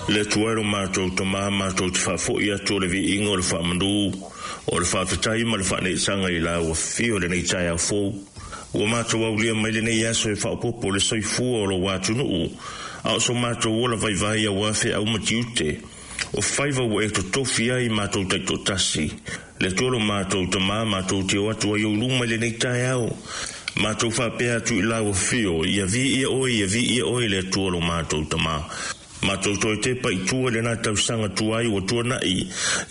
Le Atua e lo matou Tama, matou te faafoi atu o le viiga o le faamanu, o le faafetai ma le faaneetaga i lau afio i lenei taeao fou. Ua matou aulia mai lenei aso e faaopoopo le soifua o lou atunuu, a o so matou ola vaivai aua feau ma tiute o faiva ua e totofi ai matou taitoatasi. Le Atua lo matou Tama, matou te o atu ai ou luma i lenei taeao, matou faapea atu i lau afio, ia viia oe, ia viia oe le Atua lo matou Tama. Matou toe tepa i tua i lena tausaga tuai ua tuanai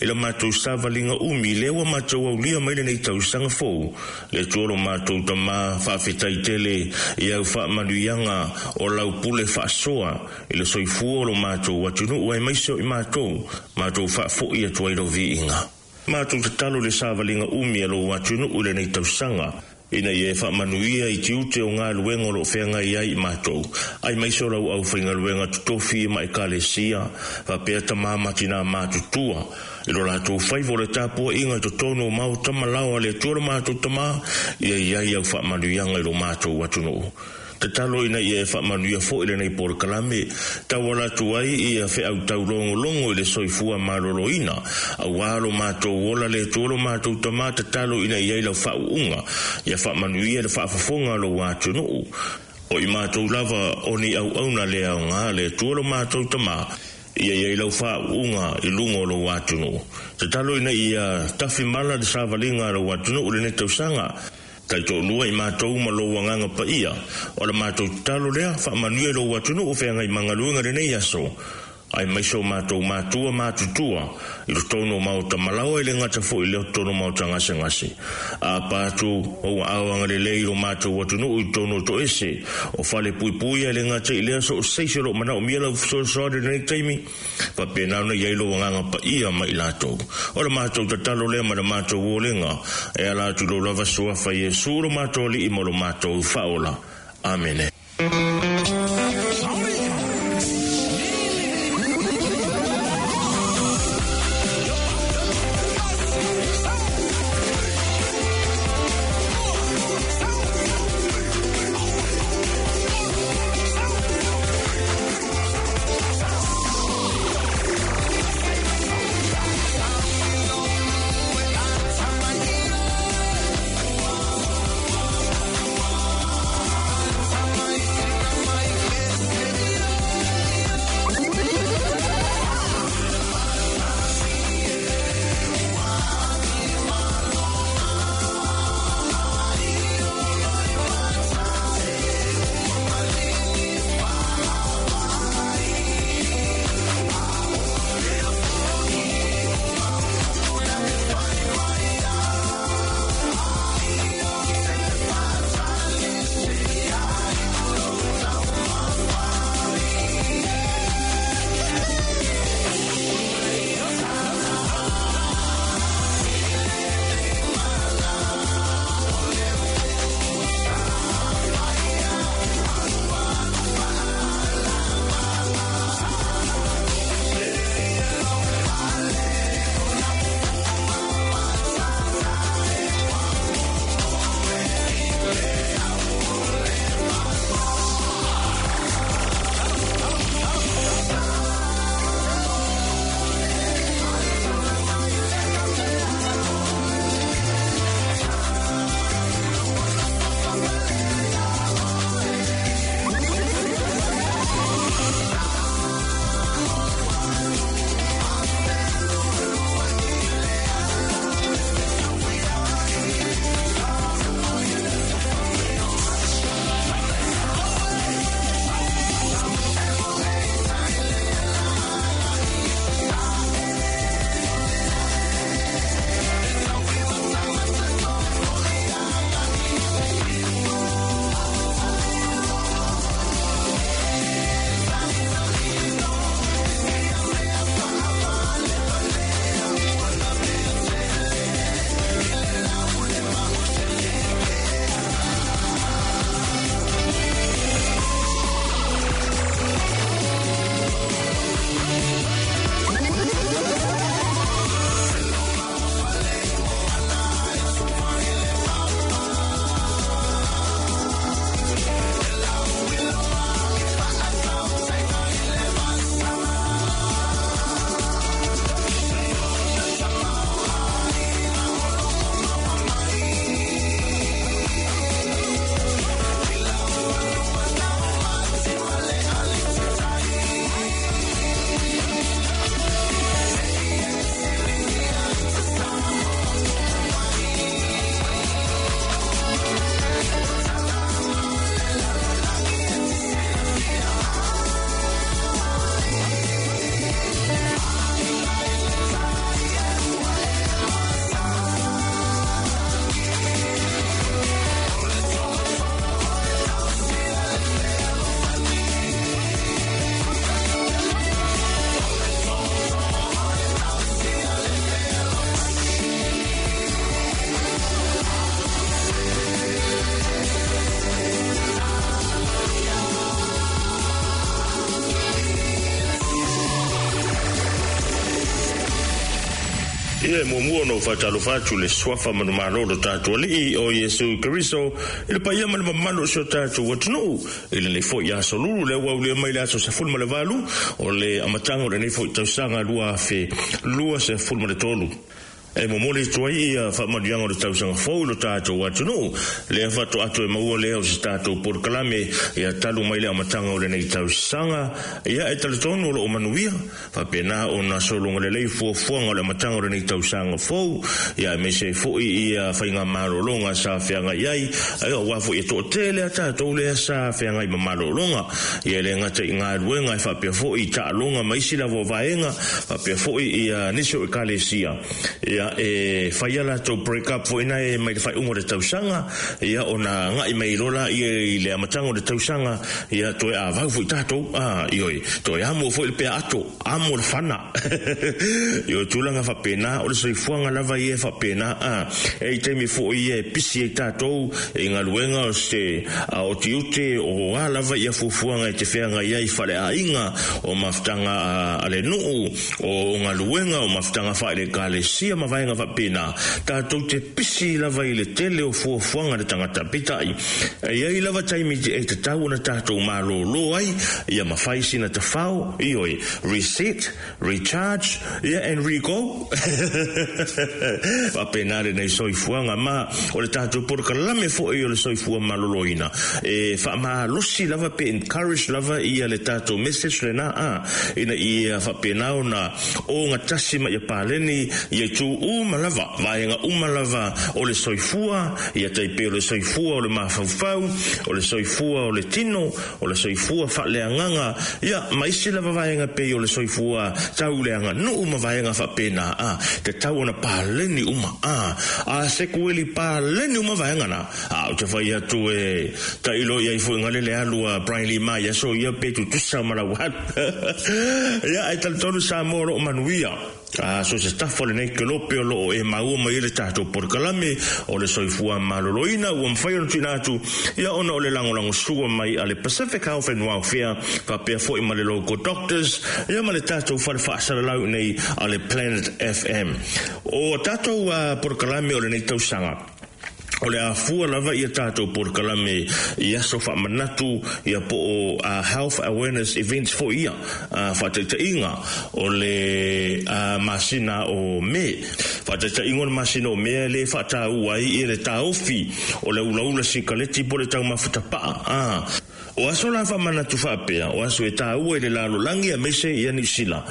i la matou savaliga umi, lea ua matou aulia mai lenei tausaga fou. Le Atua lo matou Tama, faafetai tele i au faamanuiaga o lau pule faasoa i le soifua o lo matou atunuu aemaise o i matou, matou faafoi atu ai lou viiga. Matou tatalo i le savaliga umi a lou atunuu i lenei tausaga, ina ia e faamanuia i tiute o galuega o lo o feagai ai i matou, aemaise o lau aufaigaluega totofi ma ekalesia, faapea tama ma tinā matutua, i lo latou faiva o le tapuaiga i totonu o maota ma laoa a le Atua lo matou Tama, ia i ai au faamanuiaga i lo matou atunuu. Tatalo ina ia e faamanuia foi lenei polokalame, tauala atu ai ia feau taulogologo i le soifua maloloina, aua lo matou ola le Atua lo matou Tama. Tatalo ina ia i lau faauuga, ia faamanuia le faafofoga a lou atunuu. O i matou lava o ni auauna le aoga le Atua lo matou Tama, ia i ai lau faauuga i luga o lou atunuu. Tatalo ina ia tafimala le savaliga a lou atunuu i lenei tausaga, taitoalua i matou ma lou agaga paia. O le matou tatalo lea, faamanuia i lou atunuu feagai ma galuega i lenei aso, aemaise o matou matua matutua i totonu o maota malaoa, i le gata foi i lea o totonu o maota gasegase. A pa atu o ua aoaga lelei lo matou atunuu i totonu o toese o fale puipuia, i le gata i lea so o seisi o loo manaomia lau fesoasoani i lenei taimi, faapena ona i ai lou agaga paia ma i latou. O le matou tatalo lea ma le matou olega e ala atu i lou lava suafa Iesu lo matou Alii ma lo matou Faaola. Amene. Ia e muamua ona ou faatalofa atu i le Suafa manumalo o lo tatou Alii o Iesu Keriso i le paia ma le mamalu o si o tatou atunuu i lenei foi aso lulu lea ua aulia mai le aso 18 o le amataga o lenei foi tausaga 2023. E momoli atu ai ia faamanuiaga o le tausaga fou i lo tatou atunuu, lea faatoa toe maua lea o se tatou polokalame ia talu mai le amataga o lenei tausaga. Ia e talitonu o loo manuia faapena ona sologa lelei fuafuaga o le amataga o lenei tausaga fou, ia aemaise ai foi ia faigamalologa sa feagai ai, aua foi e toatele a tatou lea sa feagai ma malologa, ia e le gata i galuega e faapea foi i taaloga ma isi lava o vaega, faapea foi ia nisi o ekalesia, ia e fai a latou break up foi na e mai le faaiuga o le tausaga, ia ona agai mai loa laia i le amataga o le tausaga, ia toe avau foi tatou, ioe, toe amo foi le pea ato, amo le fana. Ioe, tulaga faapena, o le soifuaga lava ia e faapena, e i taimi foi ia e pisi ai tatou i galuega o se o tiute o a lava ia fuafuaga e te feagai ai i faleaiga, o mafutaga a le nuu, o galuega, o mafutaga faale-ekalesia ma vaega faapena, tatou te pisi lava i le tele o fuafuaga a le tagata. Peitai, e i ai lava taimi e tatau ona tatou malōlō ai, ia ma fai sina tafao, ioe, reset, recharge, ia and re-go. Faapena lenei soifuaga ma o le tatou polokalame foi o le soifua maloloina e faamalosi lava pe encourage lava ia le tatou message lena a ina ia faapena ona ogatasi ma ia paleni ia itu uma lava, vaega uma lava o le soifua, ia tai pei o le soifua o le mafaufau, o le soifua o le tino, o le soifua faaleagaga, ia ma isi lava vaega pei o le soifua tauleaganuu ma vaega faapena, a tatau ona paleni uma, a sekueli paleni uma vaega na. A ou te fai atu e tailo i ai foi ngale le alu a Brian Lee ma ia so ia pe tutusa ma lau alu. Ia ai talitonu Samoa o loo manuia. A so se tafa o lenei kelope o loo e maua mai ai le tatou polokalame o le soifua maloloina ua mafai ona tuuina atu ia ona o le lagolagosua mai a le Pacific Health and Welfare faapea foi ma le Local Doctors ia ma le tatou fale faasalalau nei a le Planet FM. O tatou polokalame o lenei tausaga o le a fua lava ia tatou polokalame i aso faamanatu ia po o health awareness events foi ia faataitaiga o le masina o Me. Faataitaiga o le masina o Me lea e faataua ai ia le taofi o le ulaula sikaleti po o le taumafa tapaa. O aso la faamanatu faapea, o aso e taua i le lalolagi aemaise ia Niu Sila.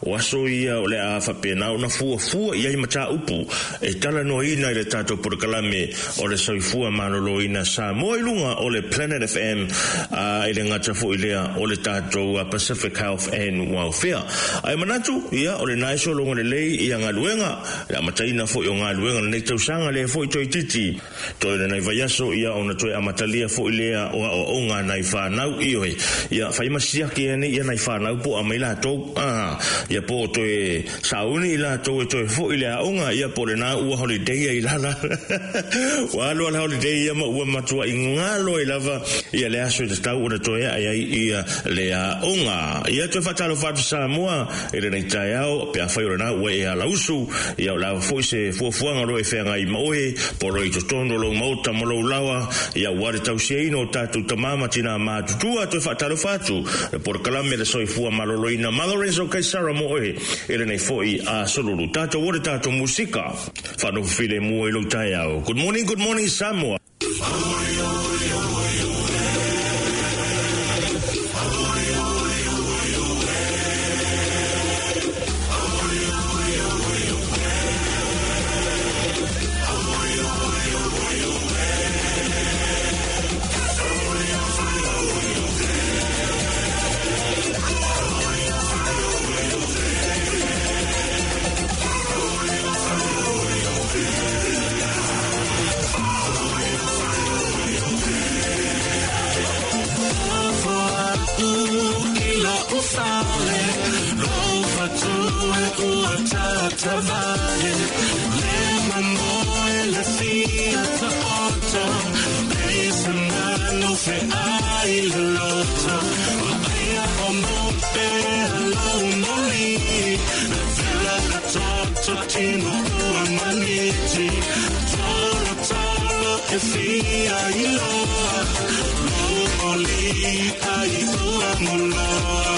O aso ia o le a faapena ona fuafua i ai mataupu e talanoaina i le tatou polokalame o le Soifua Maloloina Samoa i luga o le Planet FM, a e le gata foi lea o le tatou Pacific Health and Welfare. Ae manatu, ia, o lena e sologa lelei ia galuega, le amataina foi o galuega o lenei tausaga lea foi toeitiiti. Toe lenei vaiaso, ia ona toe amatalia foi lea o aoaoga a nai fanau, ioe, ia fai ma siaki ai nei ia nai fanau po o aumai latou, a, ia po o toe sauni i latou e toe foi i le aoga, ia po o lena ua holiday ai lala. Ua alu a le holiday ia ma ua matuai galo ai lava ia le aso e tatau ona toe ae ai ia le aoga. Ia toe faatalofa atu Samoa i lenei taeao, pe afai o lena ua e alausu, ia o le a foi se fuafuaga o lo o e feagai ma oe, po o lo o i totonu o lou maota ma lou laoa, ia aua le tausiaina o tatou tama ma tinā matutua. Toe faatalofa atu le polokalame le soifua maloloina ma Lorenzo Kaisara mo oe i lenei foi aso lulu. Tatou o le tatou musika faanofo filemu ai lou taeao. Good morning, good morning Samoa. tamaiti Tolo tolo e fia iloa Momoli ai ua moloa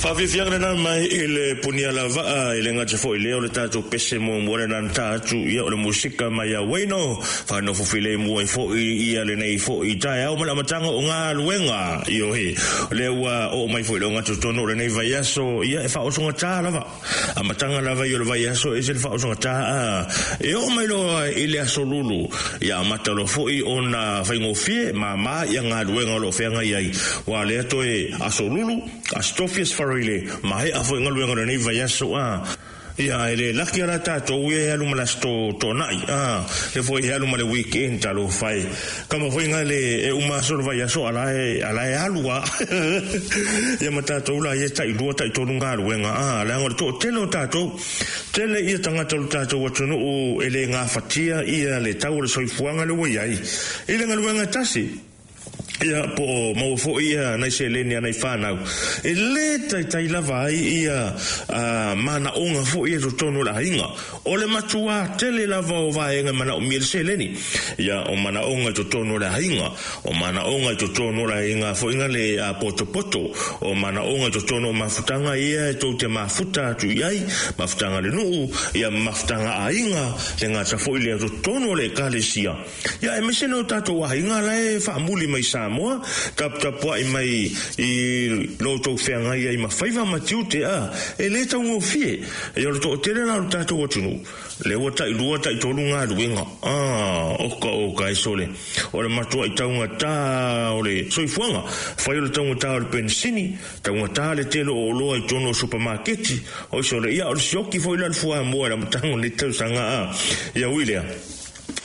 Faafiafiaga lena mai i le punia lavaa i le gata foʻi lea o le tatou pese muamua lena na ta atu ia o le musika mai a Waino faanofofilemu ai foʻi ia lenei foʻi taeao ma le amataga o galuega ioe lea ua oo mai foʻi le ogatotonu o lenei vaiaso ia e faaosogatā lava amataga lava i o le vaiaso e se le faaosogatā a e oo mai loa i le aso lulu ia amata loa foʻi ona faigofie māmā ia galuega o loo feagai ai ua lea toe aso lulu aso tofi aso farile maea foʻi galuega o lenei vaiaso a Ia, e le laki ala tātou e alu ma le aso toanai, le foi e alu ma le weekend talofa e. Kama foi nga le e uma aso le vaiaso ala e ala e alu a. Ia ma tātou la ia tai lua tai tolu galuega a leaga o le toatele o tātou. Tele ia tagata o le tātou atunuu e le gafatia ia le tau o le soifuaga le ua i ai i le galuega e tasi. Ia, po o maua foi ia nai seleni a nai fanau e lē taitai lava ai ia manaoga foi ia i totonu o le aiga. O le matuā tele lava o vaega e manaomia le seleni. Ia, o manaoga i totonu o le aiga, o manaoga i totonu o le aiga foi na le potopoto, o manaoga i totonu o mafutaga ia e tou te mafuta atu i ai, mafutaga a le nuu, ia ma mafutaga a aiga, le gata foi lea i totonu o le Ekalesia. Ia, aemaise nai o tatou aiga la e faamuli mai Samoa, taputapuai mai i lo outou feagai ai ma faiva ma tiute, a, e le taugofie. Ia, o le toatele la o le tatou atunuu, lea ua tailua, taitolu galuega, a, oka oka e sole. O le matuai taugata o le soifuaga, fai o le taugata o le penisini, taugata le tele o oloa i totonu o supamaketi, oi sole, ia, o le sioki foi la o le fuamoa i le amataga o lenei tausaga, a, ia ui lea.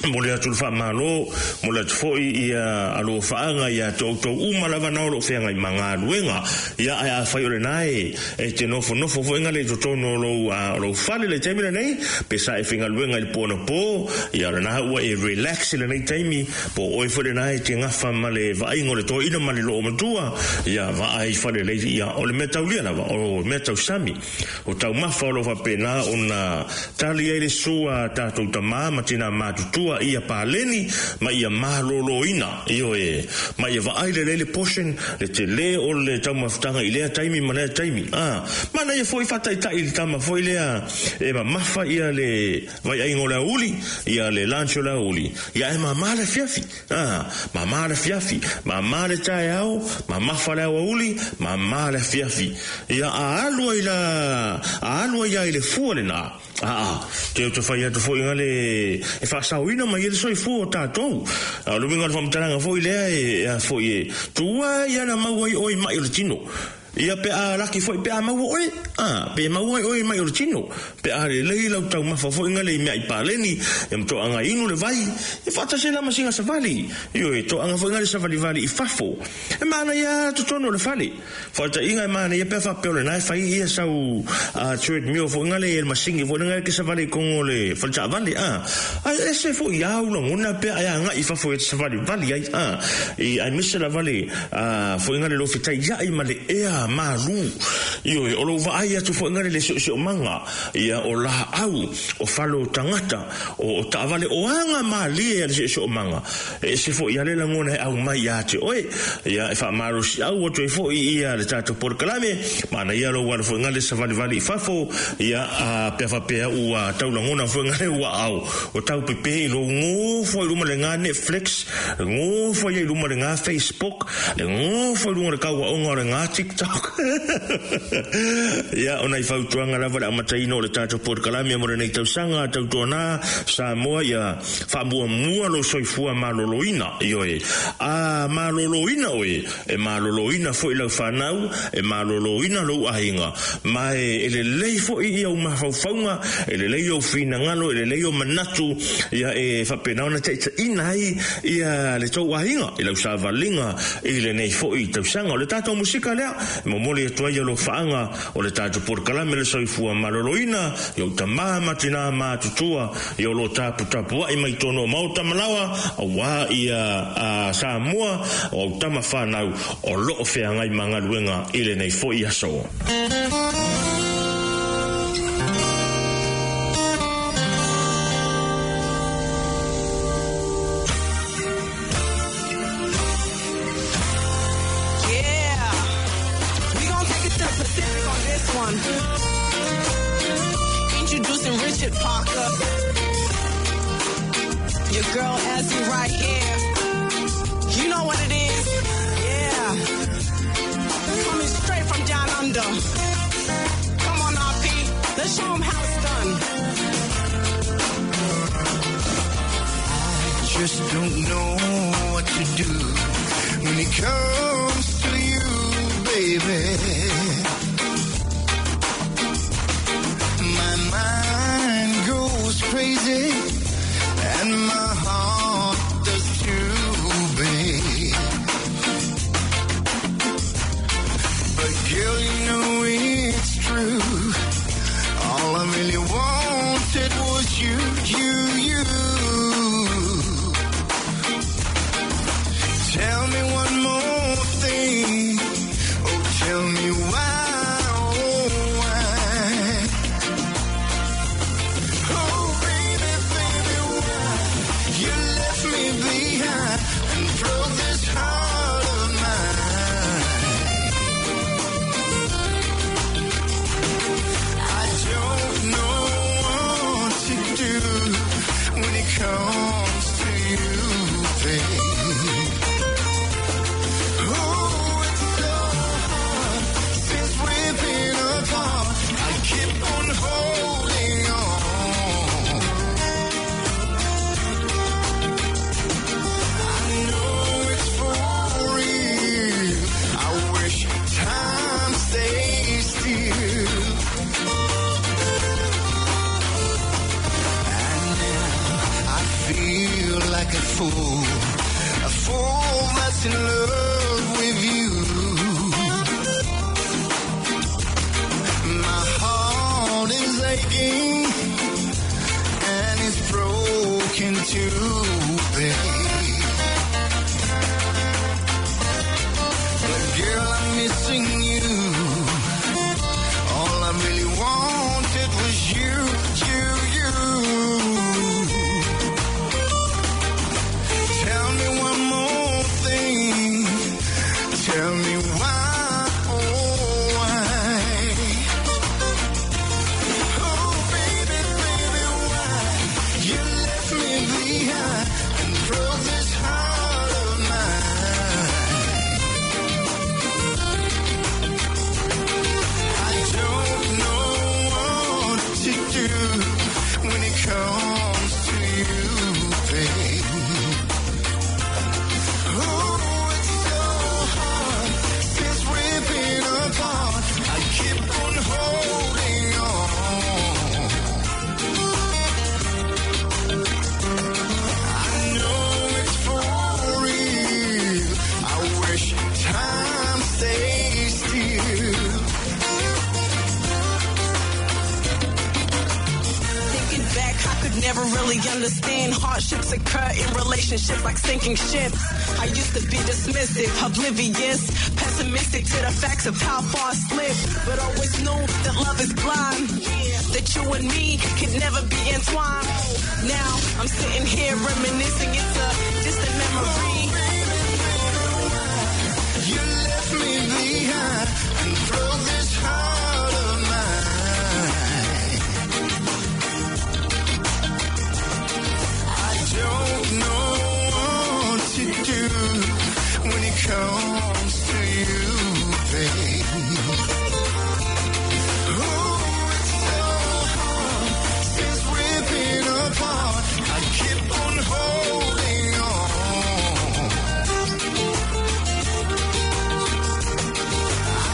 Momoli atu le faamalo, momoli atu foi ia alofaaga ia te outou uma lava na o lo o feagai ma galuega. Ia, ae afai o lena e e te nofonofo foi ngale i totonu o lou o lou fale i le taimi lenei, pe sa e faigaluega i le po anapo, ia o lena ua e relax i lenei taimi, po o oe foi lena e te gafa ma le vaaiga o le toeaina ma le loomatua, ia vaai i fale lelei, ia o le mea taulia lava, o mea tausami. O taumafa o lo o faapena ona tali ai le sua a tatou tamā ma tinā matutua ia paleni ma ia malōlōina, ioe, ma ia vaai lelei le portion, le telē o le taumafataga i lea taimi ma lea taimi. A, manaia foi faataitai i le tama foi lea e mamafa ia le vaiaiga o le aoauli, ia le lunch o le aoauli, ia ae mama le afiafi. A, mama le afiafi, mama le taeao, mamafa le aoauli, mama le afiafi. Ia, a alu ai la, a alu ai a i le fua lena, aa, te ou te fai atu foi nga le, e faasaoina mai ai le soifua o tatou. A o le uiga o le faamatalaga foi lea e, a foi e, tua ia na maua ai oe i mai o le tino. Ia pe a laki foi pe a maua oe, a, pe maua ai oe i mai o le tino, pe a lelei lau taumafa foi nga le i meaai paleni, ia ma toaga inu le vai, ia faatasi ai la ma singa savali, ioe, toaga foi nga le savalivali i fafo. E manaia a totonu o le fale. Faataiga e manaia pe a faapea o lena e fai ia sau treadmill foi nga le masini foi lena e te savali i totonu o le fale taavale, a, ae ese foi au lagona pe a e agai i fafo e te savalivali ai, a, i aemaise lava le A foi ngale lou fetaiaʻi ma le ea malū. Ioe, o lou vaai atu foi ngale le seoseomaga, ia, o laau, o fale o tagata, o, o taavale, o aga mālie a le seoseomaga. E ese foi a le lagona e aumai iā te oe. Ia, e faamalosiau atu ai foi ia le tatou polokalame, manaia lou alo foi ngale savalivali i fafo, ia, a, pe a faapea ua tau lagona foi ngale ua ao, o tau pepē i lou gofo ai luma le ga Netflix, Gofo ia i luma o le ngā Facebook, le gofo i luga o le kauaʻoga o le ngā TikTok. Ia, o nai fautuaga lava le amataina o le tatou polokalame mo lenei tausaga, tautuana Samoa ia faamuamua lou soifua maloloina, ioe. A maloloina oe, e maloloina foi lau fanau, e maloloina lou aiga, ma e lelei foi i ou mafaufauga, e lelei ou finagalo, e lelei ou manatu, ia e faapena ona taitaiina ai ia le tou aiga i lau savaliga i lenei foi tausaga. O le tatou musika lea e momoli atu ai alofaaga o le tatou polokalame Le Soifua Maloloina i ou tama ma tinā matutua ia o lo o taputapuai mai totonu o maota ma laoa aua ia a Samoa o au tama fanau o lo o feagai ma galuega i lenei foi aso. Yeah, we gon' take it to the Pacific on this one. Introducing Richard Parker. Your girl Azzy right here. You know what it is. Yeah. Coming straight from down under. Come on, RP. Let's show 'em how it's done. I just don't know what to do when it comes to you, baby. My mind Girl, you know it's true. All I really wanted was you, you, you. Tell me one more thing. Oh, tell me why, oh, why? Oh, baby, baby, why you left me behind and broke this heart of mine? I don't know what to do when it comes to you, babe. Oh, it's so hard since we've been apart. I keep on holding on. I know it's for real. I wish time stays still. And now I feel like a fool that's in love with you. My heart is aching and it's broken too, babe. But girl, I'm missing you. All I really wanted was you, you, you. Tell me one more thing. Tell me why, oh why? Oh baby, baby, why you left me behind and broke this heart of mine? I don't know what to do when it comes to you, babe. Oh, it's so hard since we've been apart. I keep on holding on. I know it's for real. I wish time stays still. Thinking back, I could never really understand hardships occur in relationships like sinking ships. I used to be dismissive, oblivious, pessimistic to the facts of how far I slipped, but always knew that love is blind, that you and me could never be entwined. Now I'm sitting here reminiscing, it's a distant memory. You left me behind and broke this heart of mine. I don't know what to do when it comes to you, babe. Oh, it's so hard since we've been apart. I keep on holding on. I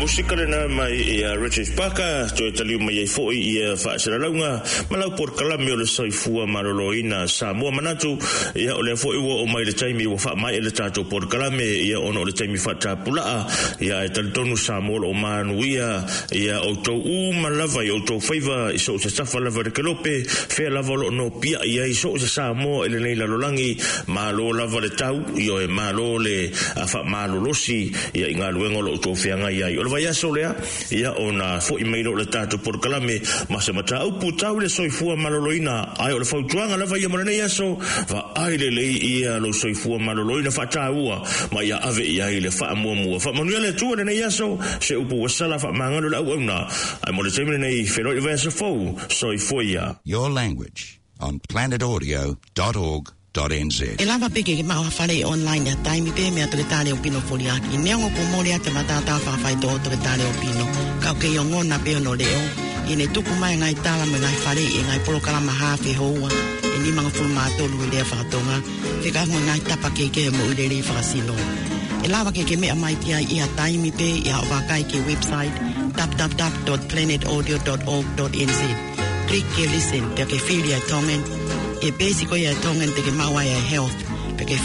Musika lena mai ia Richard Parker toe taliu mai ai fo'i ia faasalalauga ma lau polokalame o le soifua maloloina Samoa. Manatu ia o lea fo'i ua oo mai le taimi ua faamaea le tatou polokalame ia ona o le taimi faatapulaa ia ae talitonu Samoa o loo manuia ia outou uma lava i outou faiva i so o se tafa lava i le kelope fea lava o loo nopiai ai so o se Samoa i lenei lalolagi. Malo lava le tau ioe, malo le faamalolosi ia i galuega o lo outou feagai ai. O le vaiaso lea ia ona fo'i mai lea o le tatou polokalame ma se mataupu tau i le soifua maloloina, ae o le fautuaga lava ia mo lenei aso, vaai lelei ia lou soifua maloloina, faataua ma ia ave i ai le faamuamua. Faamanuia le Atua lenei aso, se upu ua sala faamagalo le auauna, ae mo le taimi lenei, feiloai i le vaiaso fou, soifua ia. Your language on planetaudio.org.nz. E lava pe ke ma whare online ya taimi pe mea to ke tale o pino foli aki. Nea ngo ko mole ate matata whawhai to to ke tale o pino. Kau ke yongona pe ono leo. I ne tuku mai ngai tala me ngai whare i ngai polo kalama hafe hoa. E ni mga fulu mātolu i lea whakatonga. Whika ngoi ngai tapa ke ke mo i lele whakasino. E lava ke ke mea mai tia i a taimi pe i a wakai ke website www.planetaudio.org.nz. Click ke listen pe ke fili a tongen. E basic o ia tongen te ke maua ia health. Pe ke